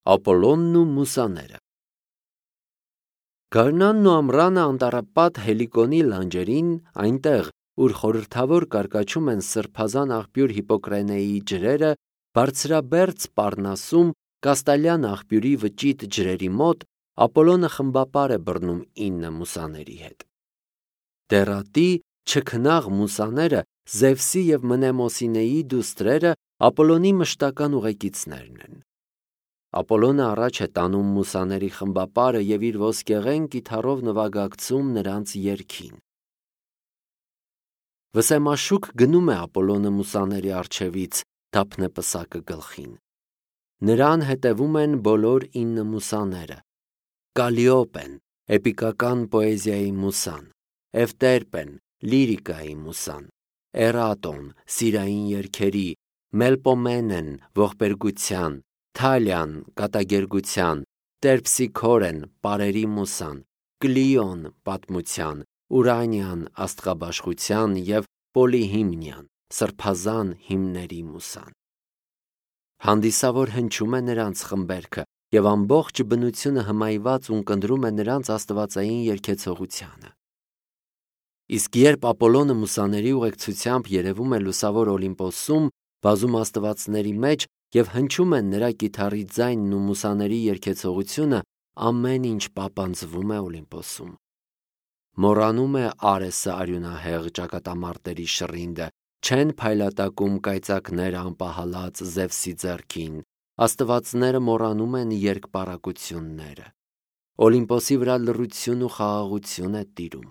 Ապոլոնն ու Մուսաները։ Գարնանն ու ամռանը անտառապատ Հելիկոնի լանջերին, այնտեղ, ուր խորհրդավոր կարկաչում են սրբազան աղբյուր Հիպոկրենեի ջրերը, բարձրաբերձ Պառնասում Կաստալյան աղբյուրի վճիտ ջրերի մոտ, Ապոլոնը խմբապար է բռնում 9 մուսաների հետ։ Դեռատի չքնաղ մուսաները, Զևսի և Մնեմոսինեի դուստրերը Ապոլոնի մշտական ուղեկիցներն են։ Ապոլոնը առաջ է տանում մուսաների խմբապարը և իր ոսկեղեն կիթառով նվագակցում նրանց երգին։ Վսեմաշուք գնում է Ապոլոնը մուսաների առջևից, դափնեպսակը գլխին։ Նրան հետևում են բոլոր 9 մուսաները. Կալիոպեն, էպիկական պոեզիայի մուսան, Էվտերպեն, լիրիկայի մուսան, Էրատոն, սիրային երգերի, Մելպոմենեն, ողբերգության, Թալյան, կատակերգության, Տերպսիքորեն, պարերի մուսան, Կլիոն, պատմության, Ուրանիան, աստղաբաշխության և Պոլիհիմնիան, սրբազան հիմների մուսան։ Հանդիսավոր հնչում է նրանց խմբերքը և ամբողջ բնությունը հմայված ունկնդրում է նրանց աստվածային երգեցողությանը։ Իսկ երբ Ապոլոնը մուսաների ուղեկցությամբ երևում է լուսավոր Օլիմպոսում, բազում աստվածների մեջ և հնչում են նրա կիթառի ձայնն ու մուսաների երգեցողությունը, ամեն ինչ պապանձվում է Օլիմպոսում։ Մոռանում է Արեսը արյունահեղ ճակատամարտերի շռինդը, չեն փայլատակում կայծակներ անպահալած Զևսի ձեռքին, աստվածները մոռանում են երկպառակությունները։ Օլիմպոսի վրա լռություն ու խաղաղություն է տիրում։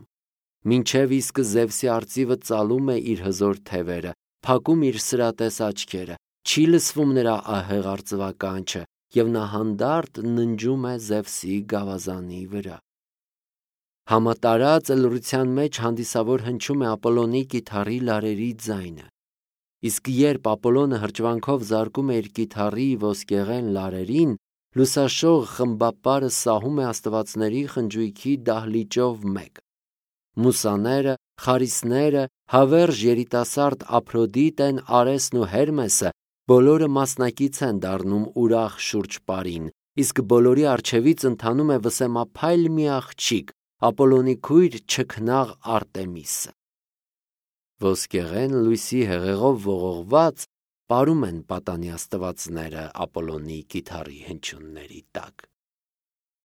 Մինչև իսկ Զևսի արծիվը ծալում է իր հզոր թևերը, փակում իր սրատես աչքերը, չի լսվում նրա ահեղ արծվականչը և նա հանդարտ ննջում է Զևսի գավազանի վրա։ Համատարած լռության մեջ հանդիսավոր հնչում է Ապոլոնի կիթառի լարերի ձայնը։ Իսկ երբ Ապոլոնը հրճվանքով զարկում է իր կիթառի ոսկեղեն լարերին, լուսաշող խմբապարը սահում է աստվածների խնջույքի դահլիճով մեկ։ Մուսաները, խարիսները, հավերժ երիտասարդ Ափրոդիտեն, Արեսն ու Հերմեսը բոլորը մասնակից են դառնում ուրախ շուրջպարին, իսկ բոլորի առջևից ընթանում է վսեմափայլ մի աղջիկ, Ապոլոնի քույր չքնաղ Արտեմիսը։ Ոսկեղեն լույսի հեղեղով ողողված պարում են պատանի աստվածները Ապոլոնի կիթառի հնչյունների տակ։